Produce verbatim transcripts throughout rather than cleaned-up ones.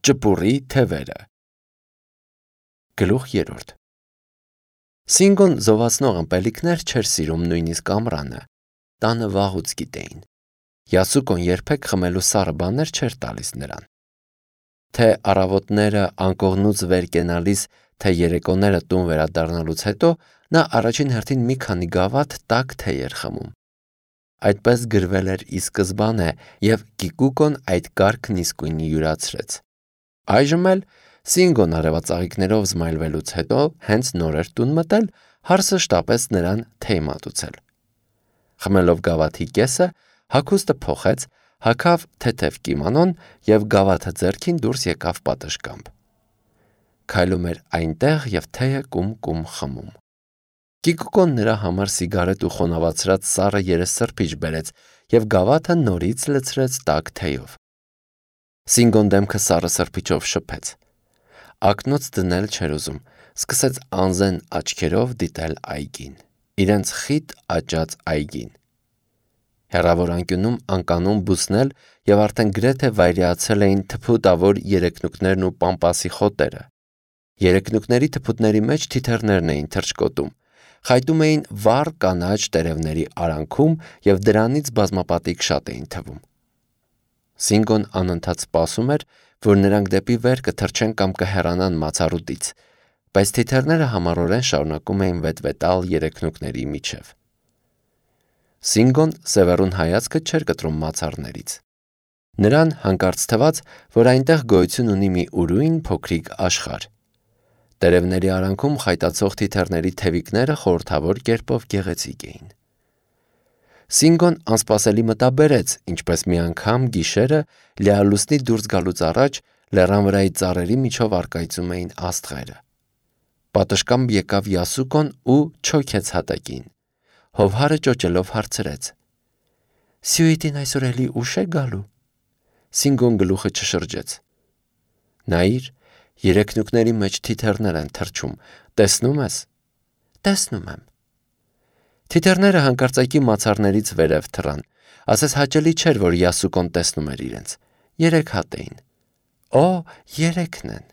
Ճպուռի թևերը։ Գլուխ երրորդ։ Սինգոն զովացնող ըմպելիքներ չէր սիրում նույնիսկ ամռանը, տանը վաղուց գիտեին։ Յասուկոն երբեք խմելու սառը բաներ չէր տալիս նրան։ Թե առավոտները անկողնուց վեր կենալիս, թե երեկոները տուն վերադառնալուց հետո նա առաջին հերթին մի քանի գավաթ տաք թեյ էր խմում։ Այդպես գրվել էր ի սկզբանե, եւ Կիկուկոն այդ կարգն իսկույն յուրացրեց։ Այժմ էլ Սինգոն արևածաղիկներով զմայլվելուց հետո հենց նոր էր տուն մտել, հարսը շտապեց նրան թեյ մատուցել։ Խմելով գավաթի կեսը, հագուստը փոխեց, հագավ թեթև կիմոնոն եւ գավաթը ձեռքին դուրս եկավ պատշգամբ։ Քայլում էր այնտեղ եւ թեյը կում-կում խմում։ Կիկուկոն նրա համար սիգարետ ու խոնավացրած սառը երեսսրբիչ բերեց եւ գավաթը նորից լցրեց տաք թեյով։ Սինգոն դեմքը սառը սրբիչով շփեց։ Ակնոց դնել չէր ուզում, սկսեց անզեն աչքերով դիտել այգին, իրենց խիտ աճած այգին։ Հեռավոր անկյունում անկանոն բուսնել եւ արդեն գրեթե վայրեացել էին թփուտավոր երեկնուկներն ու պամպասի խոտերը։ Երեկնուկների թփուտների մեջ թիթեռներն էին թռչկոտում, խայտում էին վառ կանաչ տերևների արանքում եւ դրանից բազմապատիկ շատ էին թվում։ Սինգոն անընդհատ սպասում էր, որ նրանք դեպի վեր կթռչեն կամ կհեռանան մացառուտից, բայց թիթեռները համառորեն շարունակում էին վետվետալ երեկնուկների միջև։ Սինգոն սևեռուն հայացքը չէր կտրում մացառներից։ Նրան հանկարծ թվաց, որ այնտեղ գոյություն ունի մի ուրույն փոքրիկ աշխարհ։ Տերևների արանքում խայտացող թիթեռների թևիկները խորհրդավոր կերպով գեղեցիկ էին։ Սինգոն անսպասելի մտաբերեց, ինչպես մի անգամ գիշերը լիալուսնի դուրս գալուց առաջ լեռան վրայի ծառերի միջով առկայծում էին աստղերը։ Պատշգամբ եկավ Յասուկոն ու չոքեց հատակին։ Հովհարը ճոճելով հարցրեց. «Սյուիտին այսօր էլի ուշ է գալու»։ Սինգոն գլուխը չշրջեց։ Նայիր, երեկնուկների մեջ թիթեռներ են թռչում, տեսնում ես։ Տեսնում եմ։ Թիթեռները հանկարծակի մացառներից վերև թռան, ասես հաճելի չէր, որ Յասուկոն տեսնում էր իրենց։ Երեք հատ էին։ Օ, երեքն են։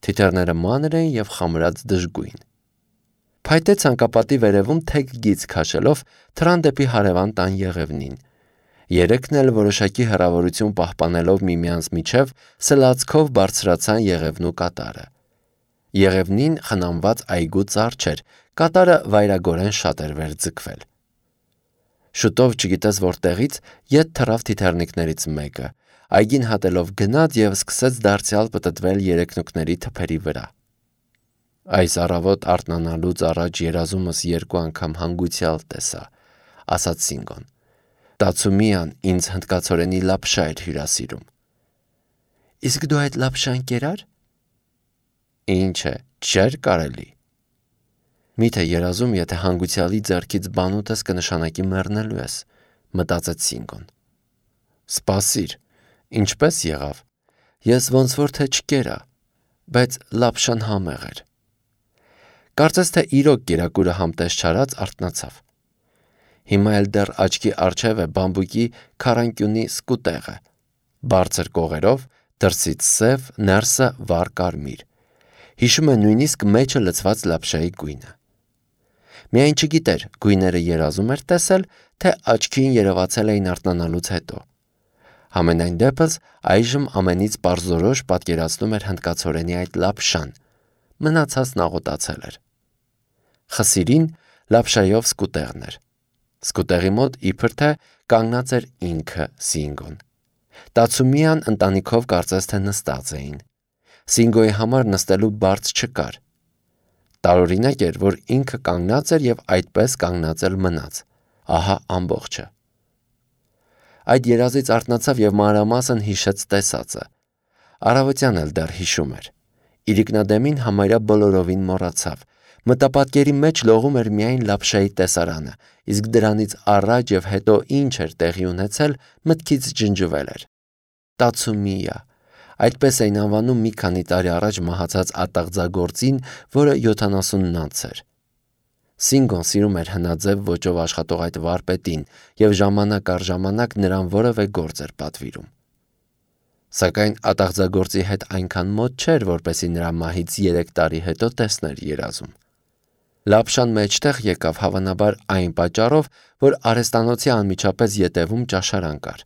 Թիթեռները մանր էին եւ խամրած դժգույն։ Փայտե ցանկապատի վերևում թեք գիծ քաշելով թռան դեպի հարևան տան եղևնին։ Երեքն էլ որոշակի հեռավորություն պահպանելով միմյանց միջև սլացքով բարձրացան եղևնու կատարը։ Եղևնին խնամված այգու ծառ չէր, կատարը վայրագորեն շատ էր վեր ձգվել։ Շուտով չգիտես որտեղից ետ թռավ թիթեռնիկներից մեկը, այգին հատելով գնաց եւ սկսեց դարձյալ պտտվել երեկնուկների թփերի վրա։ Այս առավոտ արթնանալուց առաջ երազումս երկու անգամ հանգուցյալ տեսա, ասաց Սինգոն։ Տացումիան ինձ հնդկացորենի լապշա էր հյուրասիրում։ Իսկ դու այդ լապշան կերար։ Ինչ է, չէր կարելի։ Միթե երազում, եթե հանգուցյալի ձեռքից բան ուտես կնշանակի մեռնելու ես, մտածեց Սինգոն։ Սպասիր, ինչպես եղավ։ Ես ոնց որ թե չկերա, բայց լապշան համեղ էր։ Կարծես թե իրոք կերակուրը համտես չարած արթնացավ։ Հիմա էլ դեռ աչքի առջև է բամբուկի քարանկյունի սկուտեղը, բարձր կողերով, դրսից սև, ներսը վառ կարմիր։ Հիշում է նույնիսկ մեջը լցված լապշայի գույնը։ Միայն չգիտեր, գույները երազում էր տեսել, թե աչքին երևացել էին արթնանալուց հետո։ Համենայն դեպս այժմ ամենից պարզորոշ պատկերացնում էր հնդկացորենի այդ լապշան, մնացածն աղոտացել էր։ Խսիրին լապշայով սկուտեղն էր։ Սկուտեղի մոտ իբր թե կանգնած էր ինքը Սինգոն։ Տացումիան ընտանիքով կարծես թե նստած էին։ Սինգոյի համար նստելու բարձ չկար։ Տարօրինակ էր, որ ինքը կանգնած էր եւ այդպես կանգնած էլ մնաց։ Ահա ամբողջը։ Այդ երազից արթնացավ եւ մանրամասն հիշեց տեսածը։ Առավոտյան էլ դեռ հիշում էր։ Իրիկնադեմին համարյա բոլորովին մոռացավ։ Մտապատկերի մեջ լողում էր միայն լապշայի տեսարանը, իսկ դրանից առաջ եւ հետո ինչ էր տեղի ունեցել, մտքից ջնջվել էր։ Տացումիա, այդպես էին անվանում մի քանի տարի առաջ մահացած ատաղձագործին, որը յոթանասունն անց էր։ Սինգոն սիրում էր հնաձև ոճով աշխատող այդ վարպետին եւ ժամանակ առ ժամանակ նրան որևէ գործ էր պատվիրում։ Սակայն ատաղձագործի հետ այնքան մոտ չէր, որպեսզի նրա մահից երեք տարի հետո տեսներ երազում։ Լապշան մեջտեղ եկավ հավանաբար այն պատճառով, որ արհեստանոցի անմիջապես ետևում ճաշարան կար։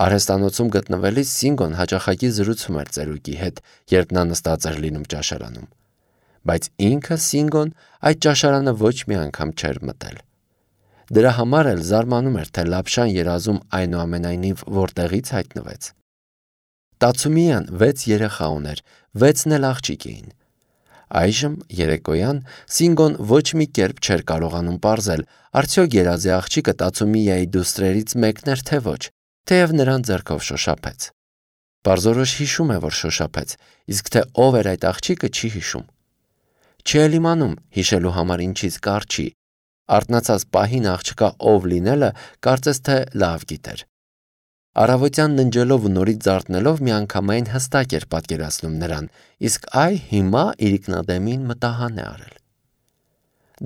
Արհեստանոցում գտնվելիս Սինգոն հաճախակի զրուցում էր ծերուկի հետ, երբ նա նստած էր լինում ճաշարանում, բայց ինքը Սինգոն այդ ճաշարանը ոչ մի անգամ չէր մտել։ Դրա համար էլ զարմանում էր, թե Լապշան երազում այնուամենայնիվ որտեղից հայտնվեց։ Տացումիան վեց երեխա ուներ, վեցն էլ աղջիկ էին։ Այժմ երեկոյան Սինգոն ոչ մի կերպ չէր կարողանում պարզել, արդյոք երազի աղջիկը Տացումիայի դուստրերից մեկն էր, թե ոչ, թեև նրան ձեռքով շոշափեց։ Պարզորոշ հիշում է, որ շոշափեց, իսկ թե ով էր այդ աղջիկը չի հիշում։ Չի էլ իմանում հիշելու համար ինչից կարճի։ Արթնացած պահին աղջկա ով լինելը կարծես թե լավ գիտեր։ Առավոտյան ննջելով ու նորից զարթնելով միանգամայն հստակ էր պատկերացնում նրան, իսկ այ հիմա իրիկնադեմին մտահան է արել։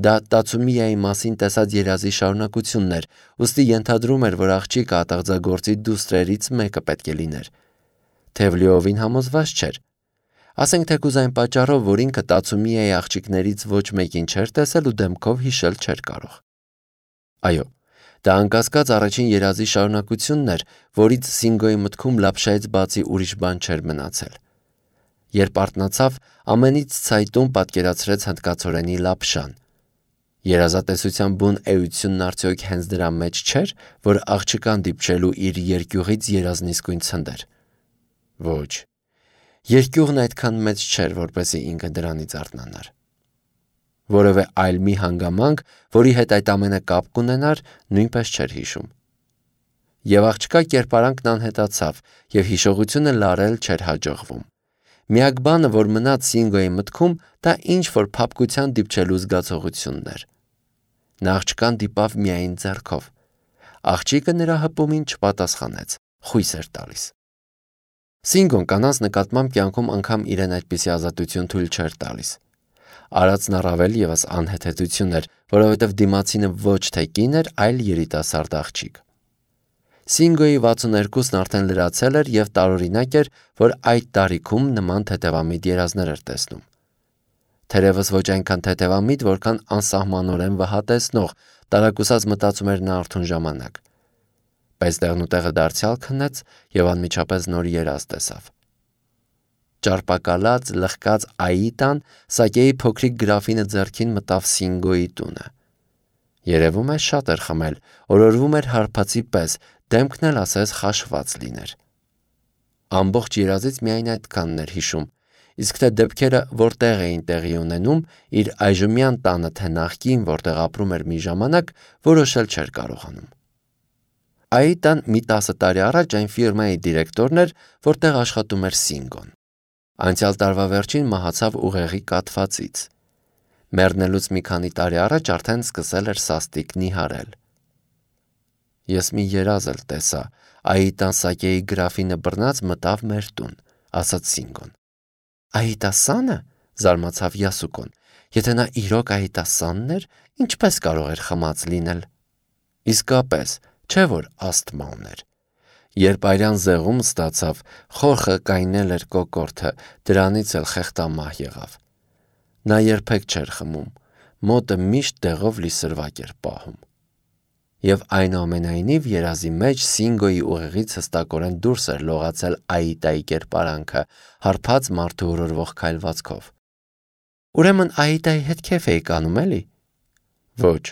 Դա Տացումիայի մասին տեսած երազի շարունակությունն էր, ուստի ենթադրում էր, որ աղջիկը ատաղձագործի դուստրերից մեկը պետք է լիներ։ Թեև լիովին համոզված չէր։ Ասենք թեկուզ այն պատճառով, որ ինքը Տացումիայի աղջիկներից ոչ մեկին չէր տեսել ու դեմքով հիշել չէր կարող։ Այո, դա անկասկած առաջին երազի շարունակությունն էր, որից Սինգոյի մտքում Լապշայից բացի ուրիշ բան չէր մնացել։ Երբ արթնացավ, ամենից ցայտուն պատկերացրեց հնդկացորենի Լապշան։ Երազատեսության բուն էությունն արդյոք հենց դրա մեջ չէր, որ աղջկան դիպչելու իր երկյուղից երազն իսկույն ցնդեր։ Ոչ, երկյուղն այդքան մեծ չէր, որպեսզի ինքը դրանից արթնանար։ Որևէ այլ մի հանգամանք, որի հետ այդ ամենը կապ կունենար, նույնպես չէր հիշում։ Եվ աղջկա կերպարանքն անհետացավ, եւ հիշողությունը լարել չէր հաջողվում։ Միակ բանը, որ մնաց Սինգոյի մտքում, դա ինչ-որ փափկության դիպչելու զգացողությունն էր։ Նա աղջկան դիպավ միայն ձեռքով։ Աղջիկը նրա հպումին չպատասխանեց, խույս էր տալիս։ Սինգոն կանանց նկատմամբ կյանքում անգամ իրեն այդպիսի ազատություն թույլ չէր տալիս։ Արածն առավել ևս անհեթեթություն էր, որովհետև դիմացինը ոչ թե կին էր, այլ երիտասարդ աղջիկ։ Սինգոյի վաթսուներկուսն արդեն լրացել էր եւ տարօրինակ էր, որ այդ տարիքում նման թեթևամիտ երազներ էր տեսնում։ Թերևս ոչ այնքան թեթևամիտ, որքան անսահմանորեն վհատեցնող, տարակուսած մտածում էր նա արթուն ժամանակ։ Բայց տեղնուտեղը դարձյալ քննեց եւ անմիջապես նոր երազ տեսավ։ Ճարպակալած, լխկած Աիտան սակեի փոքրիկ գրաֆինը ձեռքին մտավ Սինգոյի տունը։ Երևում է շատ էր խմել, օրորվում էր հարբածի պես, դեմքն էլ ասես խաշված լիներ։ Ամբողջ երազից միայն այդքանն էր հիշում, իսկ թե դեպքերը որտեղ էին տեղի ունենում, իր այժմյան տանը թե նախկին, որտեղ ապրում էր մի ժամանակ, որոշել չէր կարողանում։ Աիտան մի տասը տարի առաջ այն ֆիրմայի դիրեկտորն էր, որտեղ աշխատում էր Սինգոն։ Անցյալ տարվա վերջին մահացավ ուղեղի կաթվածից։ Մեռնելուց մի քանի տարի առաջ արդեն սկսել էր սաստիկ նիհարել։ Ես մի երազ էլ տեսա, Աիտան սակեի գրաֆինը բռնած մտավ մեր տուն, ասաց Սինգոն։ Աիտասանը, զարմացավ Յասուկոն, եթե նա իրոք Աիտասանն էր, ինչպես կարող էր խմած լինել։ Իսկապես, չէ որ ասթմա ուներ։ Երբ այրան զեղում ստացավ, խորխը կայնել էր կոկորդը, դրանից էլ խեղտամահ եղավ։ Նա երբեք չէր խմում, մոտը միշտ դեղով լի սրվակ էր պահում։ Եվ այնուամենայնիվ երազի մեջ Սինգոյի ուղեղից հստակորեն դուրս էր լողացել Աիտայի կերպարանքը, հարբած մարդու օրորվող քայլվածքով։ Ուրեմն Աիտայի հետ քեֆ էի կանում, էլի։ Ոչ,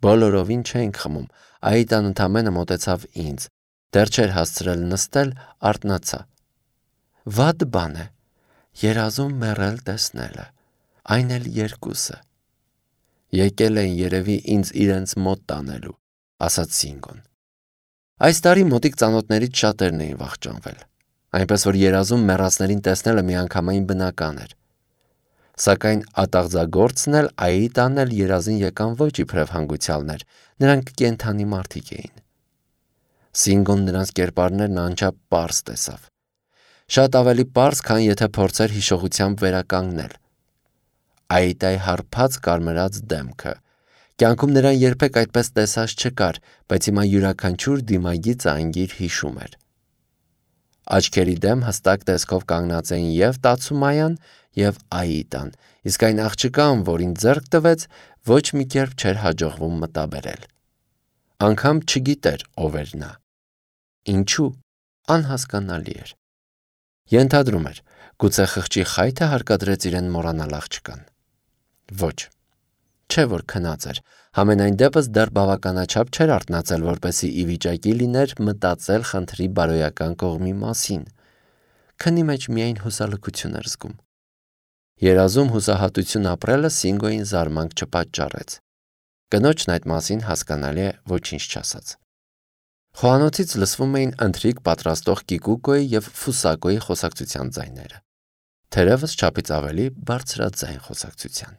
բոլորովին չէինք խմում, Աիտան ընդամենը մոտեցավ ինձ, դեռ չէր հասցրել նստել, արթնացա։ Վատ բան է, երազում մեռել տեսնելը, այն էլ երկուսը։ Եկել են երևի ինձ իրենց մոտ տանելու, ասաց Սինգոն։ Այս տարի մոտիկ ծանոթներից շատերն էին վախճանվել, այնպես որ երազում մեռածներին տեսնելը միանգամայն բնական էր։ Սակայն ատաղձագործն էլ Աիտան էլ երազին եկան ոչ իբրև հանգուցյալներ, նրանք կենդանի մարդիկ էին։ Սինգոն նրանց կերպարներն անչափ պարզ տեսավ։ Շատ ավելի պարզ, քան եթե փորձեր հիշողությամբ վերականգնել։ Աիտայի հարբած կարմրած դեմքը։ Կյանքում նրան երբեք այդպես տեսած չկար, բայց հիմա յուրաքանչյուր դիմագիծը անգիր հիշում էր։ Աչքերի դեմ հստակ տեսքով կանգնած էին և Տացումայան, և Աիդան, իսկ այն աղջկան, որին ձեռք տվեց, ոչ մի կերպ չէր հաջողվում մտաբերել։ Անգամ չգիտեր ով էր նա։ Ինչու՞։ Անհասկանալի էր։ Ենթադրում էր, գուցե խղճի խայթը հարկադրեց իրեն մոռանալ աղջկան։ Ոչ, չէ որ քնած էր, համենայն դեպս դեռ բավականաչափ չէր արթնացել, որպեսզի ի վիճակի լիներ մտածել խնդրի բարոյական կողմի մասին։ Քնի մեջ միայն հուսալքություն էր զգում։ Երազում հուսահատություն ապրելը Սինգոյին զարմանք չպատճառեց։ Կնոջն այդ մասին հասկանալի է ոչինչ չասաց։ Խոհանոցից լսվում էին ընթրիք պատրաստող Կիկուկոյի և Ֆուսակոյի խոսակցության ձայները, թերևս չափից ավելի բարձրաձայն խոսակցության։